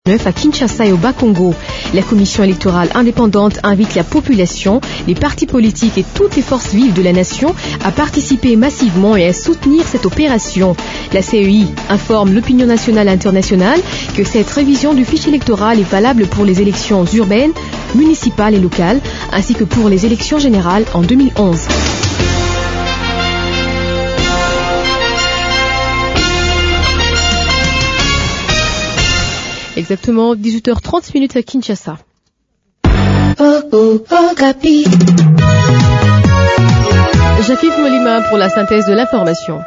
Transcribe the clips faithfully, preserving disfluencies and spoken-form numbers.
à Kinshasa et au Bas-Congo. La Commission électorale indépendante invite la population, les partis politiques et toutes les forces vives de la nation à participer massivement et à soutenir cette opération. La C E I informe l'opinion nationale et internationale que cette révision du fichier électoral est valable pour les élections urbaines, municipales et locales, ainsi que pour les élections générales en deux mille onze. Exactement dix-huit heures trente minutes à Kinshasa. Oh, oh, Okapi. Jacques-Yves Molima pour la synthèse de l'information.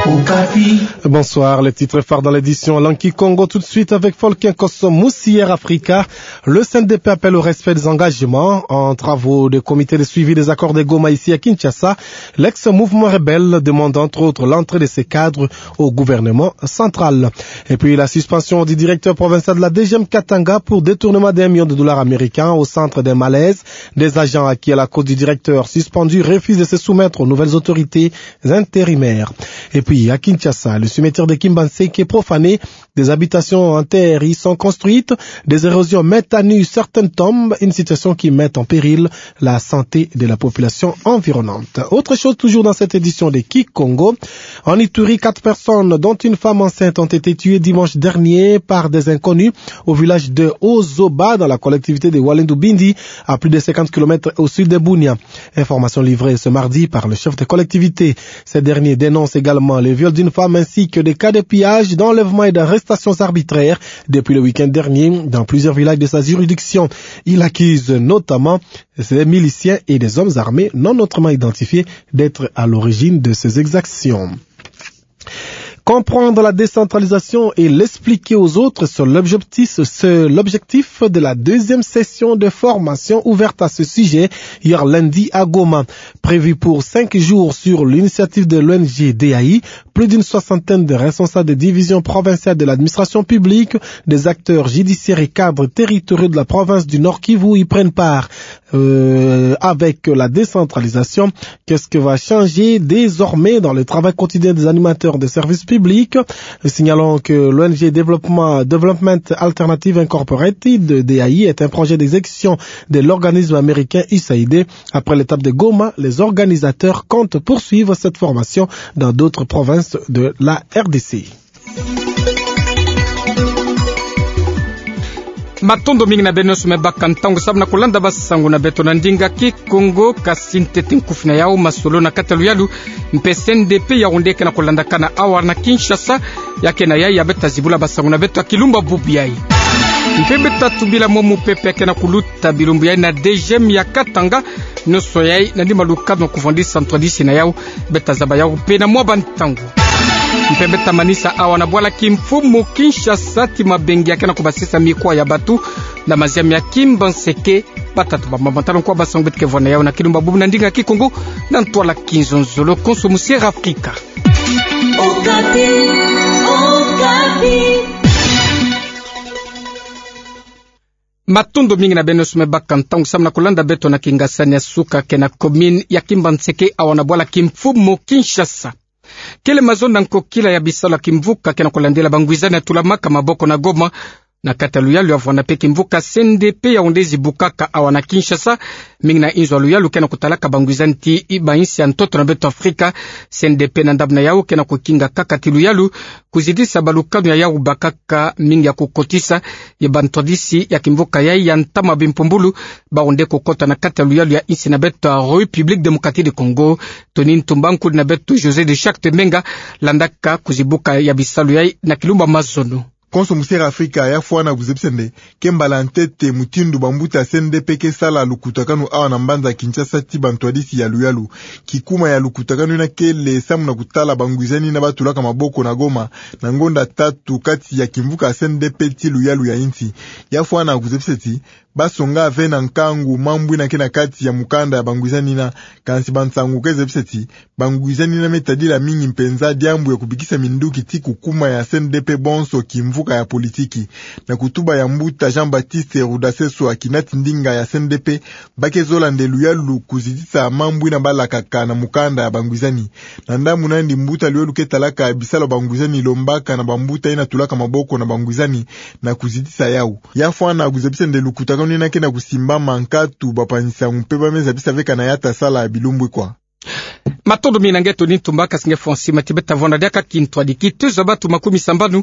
Okapi. Bonsoir, les titres phares dans l'édition Langue Kikongo tout de suite avec Folkin Kosso, Moussière Africa. Le C N D P appelle au respect des engagements en travaux de comité de suivi des accords de Goma ici à Kinshasa. L'ex-mouvement rebelle demande entre autres l'entrée de ses cadres au gouvernement central. Et puis la suspension du directeur provincial de la D G M Katanga pour détournement d'un million de dollars américains au centre d'un malaise. Des agents acquis à la cause du directeur suspendu refusent de se soumettre aux nouvelles autorités intérimaires. Et puis à Kinshasa, le cimetière de Kimbanseke est profané. Des habitations en terre y sont construites, des érosions mettent à nu certaines tombes, une situation qui met en péril la santé de la population environnante. Autre chose toujours dans cette édition de Kikongo, en Ituri, quatre personnes, dont une femme enceinte, ont été tuées dimanche dernier par des inconnus au village de Ozoba, dans la collectivité de Walendu Bindi, à plus de cinquante kilomètres au sud de Bunia. Information livrée ce mardi par le chef de collectivité. Ces derniers dénoncent également les viols d'une femme ainsi que des cas de pillage, d'enlèvement et d'arrestations arbitraires depuis le week-end dernier dans plusieurs villages de sa juridiction. Il accuse notamment des miliciens et des hommes armés non autrement identifiés d'être à l'origine de ces exactions. Comprendre la décentralisation et l'expliquer aux autres, c'est l'objectif, c'est l'objectif de la deuxième session de formation ouverte à ce sujet hier lundi à Goma. Prévue pour cinq jours sur l'initiative de l'O N G D A I, plus d'une soixantaine de responsables des divisions provinciales de l'administration publique, des acteurs judiciaires et cadres territoriaux de la province du Nord-Kivu y prennent part. Euh, avec la décentralisation, qu'est-ce qui va changer désormais dans le travail quotidien des animateurs de services publics ? Signalons que l'O N G Development, Development Alternative Incorporated, D A I, est un projet d'exécution de l'organisme américain U S A I D. Après l'étape de Goma, les organisateurs comptent poursuivre cette formation dans d'autres provinces de la R D C. Matondo mingi na beno nyonso me baka ntangu samu na kulanda basango na beto na ndinga Kikongo. Kasi ntete nkufi na yau, masolo na kati ya luyalu mpe C N D P Yaoundé ke na kulandakana awa na Kinshasa. Ya ke na yai ya beta zibula basango na beto ya kilumbu bubu yai. Mpe beta tubila mo mupepe ya ke na kuluta bilumbu yai na D G M ya Katanga. Nyonso yai na lima lukanu kuvwandisa ntwadisi na yau. Beta zaba yau mpe na mwa bantangu. Mpe beta manisa awa na bwala kimfumu Kinshasa ti mabengi ya ke na kubasisa mikwa ya batu na maziami ya Kimbanseke. Bata tubamba matalu nkwa basango beto ke vwa na yau na kilumbu bubu na ndinga Kikongo na ntwala kinzonzolo. Konso Musiera Afrika. Okapi, Okapi. Matondo mingi na beno nyonso me baka ntangu samu na kulanda beto na kingasani ya suka ke na commune ya Kimbanseke awa na bwala kimfumu Kinshasa. Kele mazono na nkokila ya bisalu ya kimvuka ke na kulandila bangwizani ya tulamaka maboko na Goma. Na kati ya luyalu ya vwanda mpe kimvuka C N D P Yaoundé zibukaka awa na Kinshasa, mingi na inzo ya luyalu ke na kutalaka bangwizani ti i bainsi ya ntoto na beto Afrika. C N D P na ndambu na yau ke na kukinga kaka ti luyalu kuzidisa balukanu ya yau bakaka, mingi ya kukotisa ye bantwadisi ya kimvuka yai ya ntama bimpumbulu, bawu nde kukota na kati ya luyalu ya insi na beto ya République Démocratique du Congo. Tony Ntumba, nkudi na beto José de Charte Menga, landaka kuzibuka ya bisalu yai na kilumbu mazono. Konso Musiera Afrika, ya fwana kuzebisa nde ke mbala ntete mutindu bambuta C N D P ke sala lukutakanu awa na mbanza Kinshasa ti bantwadisi ya luyalu. Kikuma ya lukutakanu yina kele samu na kutala bangwizani yina batulaka maboko na Goma, na ngonda tatu kati ya kimvuka C N D P ti luyalu ya insi. Ya fwana kuzebisa ti basonga ve na nkangu mambu yina ke na kati ya mukanda ya bangwizani yina, kansi bansangu ke zebisa ti bangwizani yina me tadila mingi mpenza diambu ya kubikisa minduki ti kukuma ya C N D P bonso kimvu mboka ya politiki. Na kutuba ya mbuta Jean-Baptiste Rudaseswa, kinati ndinga ya C N D P, ba ke zola nde luyalu kuzitisa mambu ina balakaka na mukanda ya bangwizani. Na ndambu nandi, mbuta luyalu ke talaka bisalu ya bangwizani lombaka na bambuta ina tulaka maboko na bangwizani na kuzitisa yau. Ya fwana kuzabisa nde lukutakanu ina ke na kusimbama nkatu bapanzi-nsangu mpe ba me zabisa veka na yata sala ya bilumbu ikwa. Matondo mingi na nge Tony Ntumba, kasi nge Fonsi Matibeta. Vwanda diaka kintwadi, kituza batu makumi sambanu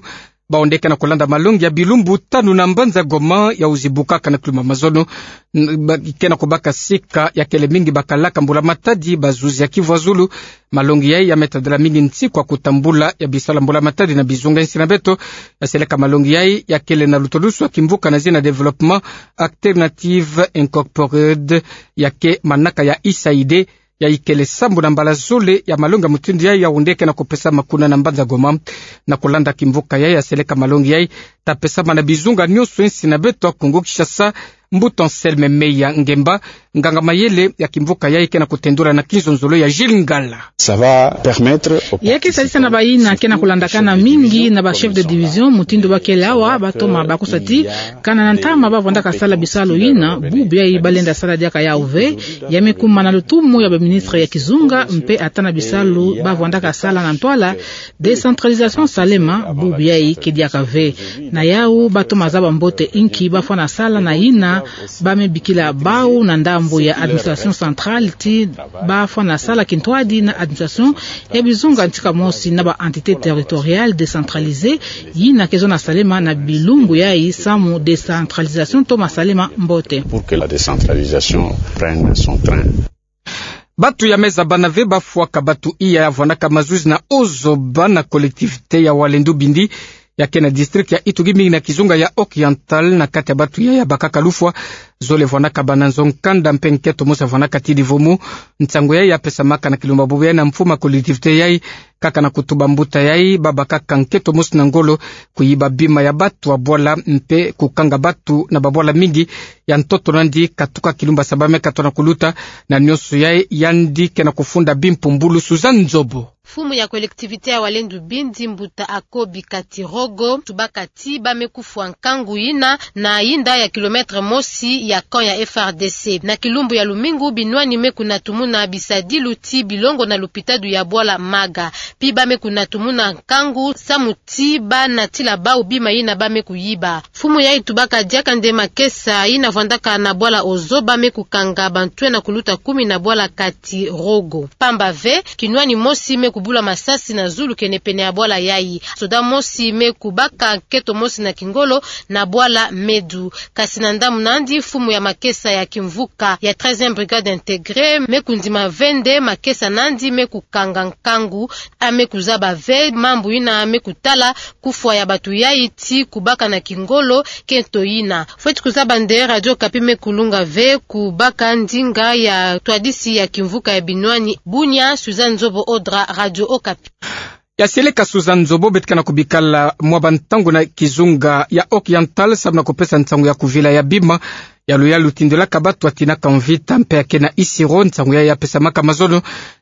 bawu nde ke na kulanda malongi ya bilumbu tanu na mbanza Goma, yawu zibukaka na kilumbu ya mazono. N-, ba-, ke na kubaka sika ya kele mingi bakalaka mbula-matadi, bazuzi ya Kivu ya Zulu. Malongi yayi ya me tadila mingi nsi kwa kutambula ya bisalu ya mbula-matadi na bizunga ya insi na beto. Ya seleka malongi yayi ya kele na lutodusu ya kimvuka na zina Développement Alternative Incorporated, ya ke manaka ya U S A I D. Yayi kele sambu na mbala zole ya malongi ya mutindu yayi, yawu nde ke na kupesama kuna na mbanza Goma. Na kulanda kimvuka yayi ya seleka malongi yayi, ta pesama na bizunga nyonso ya insi na beto ya Kongo Kinshasa. Mbuta Anselme Meya Ngemba, nganga-mayele ya kimvuka yayi, ke na kutendula na kinzonzolo ya Gilles Ngala. Ça va permettre aux... Ya ke sadisa na bayina ke na kulandakana mingi na ba chef de division mutindu ba kele awa, ba toma ba kusa ti kana na ntama ba vwandaka sala bisalu yina, bubu yayi ba lenda sala diaka yawu ve. Ya me kuma na lutumu ya ba ministre ya kizunga, mpe ata na bisalu ba vwandaka sala na ntwala décentralisation salema, bubu yayi ke diaka ve. Na yawu ba toma zaba mbote inki ba fwana sala na yina ba me bikila bawu na ndambu ya administration centrale, ti ba fwana sala kintwadi na administration ya bizunga ntika mosi na ba entités territoriales décentralisées, yina ke zona salema na bilumbu yayi, samu décentralisation toma salema mbote. Pour que la décentralisation prenne son train. Batu ya me zabana ve ba fwaka batu iya ya vwandaka mazuzi na ozoba na collectivité ya Walendu Bindi, ya ke na district ya Ituri, mingi na kizunga ya Oriental, na kati ya batu yayi ya bakaka lufwa, zole vwandaka bana nzo nkanda mpe nketo mosi ya vwandaka tidi vumu. Nsangu yayi ya pesamaka na kilumbu ya bubu yayi na mfumu ya collectivité yayi, kaka na kutuba mbuta yayi ba bakaka nketo mosi na ngolo kuyiba bima ya batu ya bwala mpe kukanga batu na babwala mingi. Ya ntoto nandi, katuka kilumbu ya saba me katono kuluta. Na nyonso yayi, yandi ke na kufunda bimpumbulu. Suzanne Nzobo. Mfumu ya collectivité ya Walendu Bindi, mbuta Akobi Katirogo, tubaka ti ba me kufwa nkangu yina na yinda ya kilomètre mosi ya camp ya F R D C. Na kilumbu ya lumingu, binwani me kunatumuna bisadilu ti bilongo na lupitalu ya bwala Maga. Pi ba me kunatumuna nkangu samu ti ba natila bawu bima yina ba me kuyiba. Mfumu yayi tubaka diaka nde makesa yina vwandaka na bwala Ozo ba me kukanga bantwenya kuluta kumi na bwala Katirogo. Pamba ve, kinwani mosi me kubula masasi na zulu kenepene ya bwala yayi. Soda mosi me kubaka nketo mosi na kingolo na bwala Medu. Kasi na ndambu nandi, mfumu ya makesa ya kimvuka ya treizième brigade intégrée me kundima ve nde makesa nandi me kukanga nkangu. A me kuzaba ve mambu yina me kutala kufwa ya batu yayi ti kubaka na kingolo nketo yina. Fweti kuzaba nde Radio Okapi me kulunga ve kubaka ndinga ya ntwadisi ya kimvuka ya binwani. Bunia, Suzanne Nzobo Odra, Radio Okapi. Ya seleka Suzanne Nzobo. Beto ke na kubikala mwa bantangu na kizunga ya Oriental samu na kupesa nsangu ya kuvila ya bima ya luyalu tindilaka batu ya tinaka mvita mpe ya ke na Isiro. Nsangu yayi ya pesamaka mazono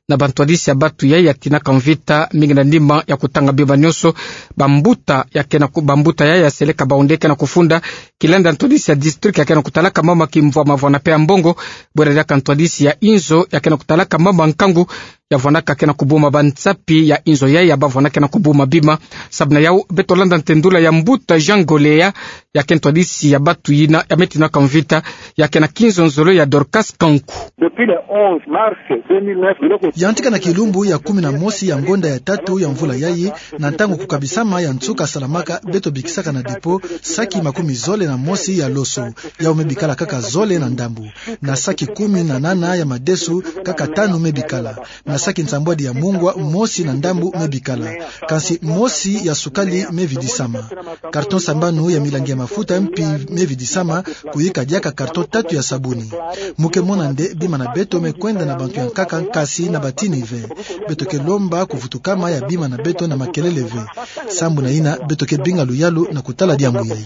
na bantwadisi ya batu yayi ya tinaka mvita, mingi na nima ya kutanga bima nyonso. Bambuta ya ke na ku-, bambuta yayi ya seleka bawu nde ke na kufunda kilanda ntwadisi ya district ya ke na kutalaka mama kimvwama vwana mpe ya mbongo, bwera diaka ntwadisi ya inzo ya ke na kutalaka mama nkangu ya vwanaka ke na kubuma bansapi ya inzo yayi ya ba vwanaka ke na kubuma bima. Samu na yawu, beto landa ntendula ya mbuta Jean Golea, ya ke ntwadisi ya batu yina ya me tinaka mvita, ya ke na kinzonzolo ya Dorcas Kanku. Depuis le onze mars deux mille neuf, biloko... Yantika na kilumbu ya kumi na mosi ya ngonda ya tatu ya mvula yayi, na ntangu kukabisama ya nsuka salamaka, beto bikisaka na dépôt saki makumi zole na mosi ya loso. Yawu me bikala kaka zole na ndambu. Na saki kumi na nana ya madesu, kaka tanu me bikala. Na saki nsambwadi ya mungwa, mosi na ndambu me bikala. Kansi mosi ya sukali me vidisama. Carton sambanu ya milangi ya mafuta mpi me vidisama, kuyika diaka carton tatu ya sabuni. Mu ke mona nde bima na beto me kwenda na bantu ya nkaka, kansi na batini ve. Beto ke lomba kuvutukama ya bima na beto na makelele ve. Sambu na yina, beto ke binga luyalu na kutala diambu yayi.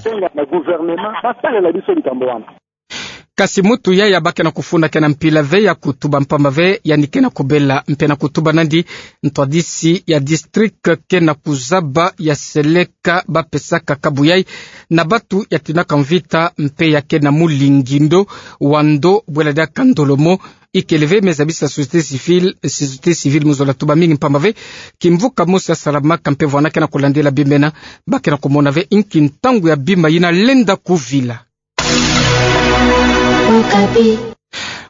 Kasi mutu yayi abakena kufunda kena mpila ve ya kutuba mpamba ve, yandi kena kubela mpe na kutuba nandi ntwadisi ya district kena kuzaba ya seleka bapesaka kabu yayi na batu ya tinaka mvita mpe ya kena mulingindo wa ndo bwela diaka ndolo mo. Ikele ve me zabisa société civile, société civile mu zola tuba mingi mpamba ve kimvuka mosi ya salamaka mpe vwanda kena kulandila bima ena, bakena kumona ve inki ntangu ya bima yina lenda kuvila. Okapi.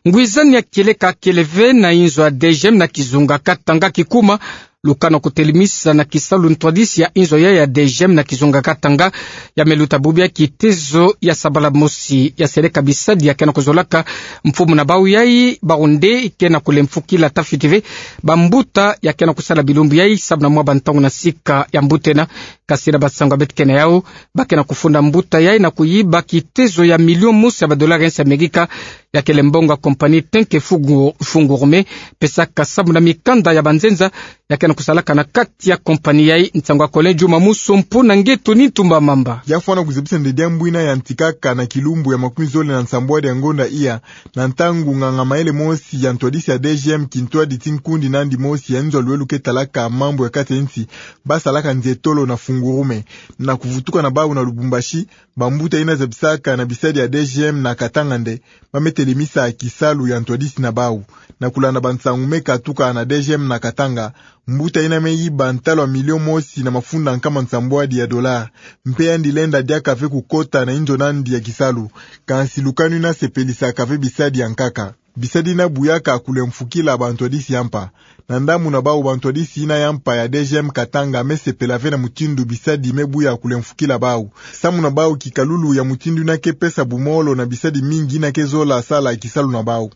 Ngwizani ya kieleka kele ve na inzo ya D G M na kizunga Katanga kikuma lukana kutelemisa na kisalu ntwadisi ya inzo ya, ya D G M na kizunga Katanga. Ya me luta bubu ya kitezo ya sabala mosi ya seleka bisadi ya kena kuzolaka mfumu na bau yayi, bau nde kena kulemfukila tafiti ve bambuta ya kena kusala bilumbu yayi, samu na mwa bantangu na sika ya mbuta ena. Kasi na basango ya beto kena yau, bakena kufunda mbuta yayi na kuyiba kitezo ya million mosi ya badolari ya nsi Amerika, ya kele mbongo ya compagnie Tenke Fungu-, Fungurume, pesaka samu na mikanda ya banzenza ya kena kusalaka na kati ya compagnie yayi. Nsangu ya Colin Juma Muso mpo na nge Tony Tumba Mamba. Ya fwana kuzebisa nde diambu yina yantikaka na kilumbu ya makumi zole na nsambwadi ya ngonda iya, na ntangu nganga-mayele mosi ya ntwadisi ya D G M kintwadi ti nkundi nandi mosi ya nzo ya luwelu ke talaka mambu ya kati ya nsi, basalaka nzietolo na Fungurume, na kuvutuka na bau na Lubumbashi, bambuta yina zabisaka na bisadi ya D G M na Katanga nde ba me telemisa kisalu ya ntwadisi na bau. Na kulanda bansangu me katuka na D G M na Katanga, mbuta yina me yiba ntalu ya million mosi na mafunda nkama nsambwadi ya dollar. Mpe yandi lenda diaka ve kukota na inzo nandi ya kisalu. Kansi lukanu yina sepelisaka ve bisadi ya nkaka. Bisadi yina buyaka kulemfukila bantwadisi ya mpa. Na ndambu na bau, bantwadisi yina ya mpa ya D G M Katanga me sepela ve na mutindu bisadi me buya kulemfukila bau. Samu na bau, kikalulu ya mutindu yina ke pesa bumolo na bisadi mingi yina ke zola sala kisalu na bau.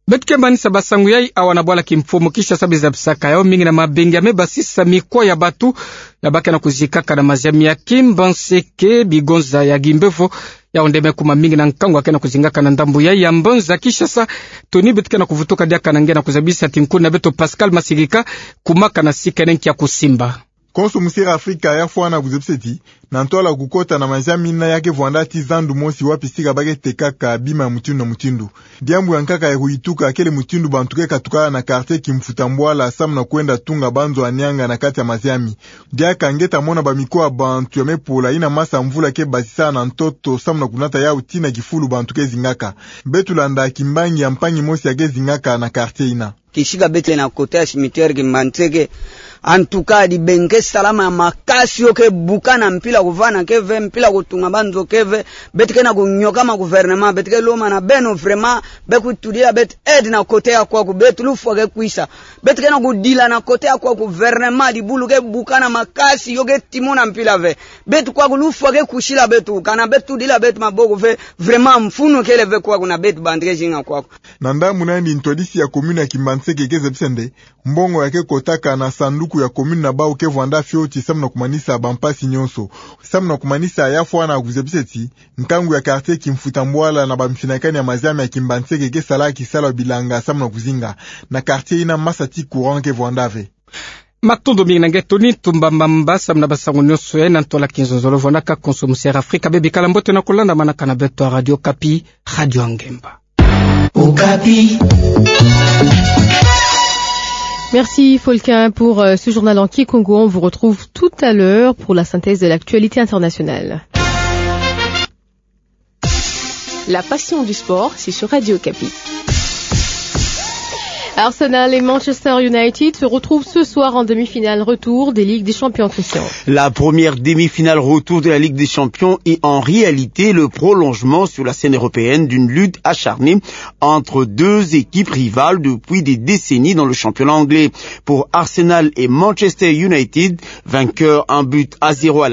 Beto ke manisa basangu yayi awa na bwala kimfumu Kinshasa. Biza bisaka yau mingi na mabengi ya me basisa mikuwa ya batu ya bakena kuzikaka na maziami ya Kimbanseke, bigonza ya Kimbevo. Yau nde me kuma mingi na nkangu ya kena kuzingaka na ndambu yayi ya mbanza Kinshasa. Tony, beto kena kuvutuka diaka na nge na kuzabisa ti nkuna beto Pascal Masirika, kumaka na sika nene kia kusimba. Konso Musera Afrika ya fwana kuzebisa ti, na ntwala kukota na maziami yina ya ke vwanda ti zandu mosi wapi sika ba ke tekaka bima ya mutindu na mutindu. Diambu ya nkaka ya kuyituka kele mutindu bantu ke katuka na quartier Kimfuta Mbwala samu na kwenda tunga banzo ya nianga na kati ya maziami. Diaka nge ta mona bamikuwa ya bantu ya me pola yina masa mvula ke basisa na ntoto samu na kunata yau tii na kifulu bantu ke zingaka. Beto landa kimbangi ya mpangi mosi ya ke zingaka na quartier yina. Kisika beto na côté ya cimetière Kimbanseke. En tout cas, dibenga ke salama ya makasi, yo ke bukana, mpila kuvana ke ve, mpila kutunga banzo ke ve. Beto ke na kunyoka ma gouvernement, beto ke lomba na beno vraiment, be kutudila beto aide na côté ya kwaku, beto lufwa ke kwisa. Beto ke na kudila na côté ya kwaku, gouvernement, dibulu ke bukana makasi, yo ke timona mpila ve. Beto kwaku lufwa ke kwisila beto, kana beto tudila beto maboko ve, vraiment mfunu kele ve kwaku na beto bantu ke zinga kwaku. Na ndambu nandi ntwadisi ya commune ya Kimbanseke ke zebisa nde, mbongo ya ke kotaka na sanduku ya commune na bau ke vwanda fioti samu na kumanisa bampasi nyonso. Samu na kumanisa ya fwana kuzebisa ti, nkangu ya quartier Kimfuta Mbwala na bamfinakani ya maziami ya Kimbanseke ke sala kisalu ya bilanga samu na kuzinga. Na quartier yina masa ti courant ke vwanda ve. Matondo mingi na nge Tony Tumba Mamba samu na basangu nyonso yayi na ntwala kinzonzolo. Vwandaka konso Musera Afrika, be bikala mbote na kulandamanaka na beto ya Radio Okapi, Radio ya Ngemba. Okapi. Merci Folkin pour, euh, ce journal en kikongo. On vous retrouve tout à l'heure pour la synthèse de l'actualité internationale. La passion du sport, c'est sur Radio Okapi. Arsenal et Manchester United se retrouvent ce soir en demi-finale retour des Ligues des Champions, Christian. La première demi-finale retour de la Ligue des Champions est en réalité le prolongement sur la scène européenne d'une lutte acharnée entre deux équipes rivales depuis des décennies dans le championnat anglais. Pour Arsenal et Manchester United, vainqueur un but à zéro à la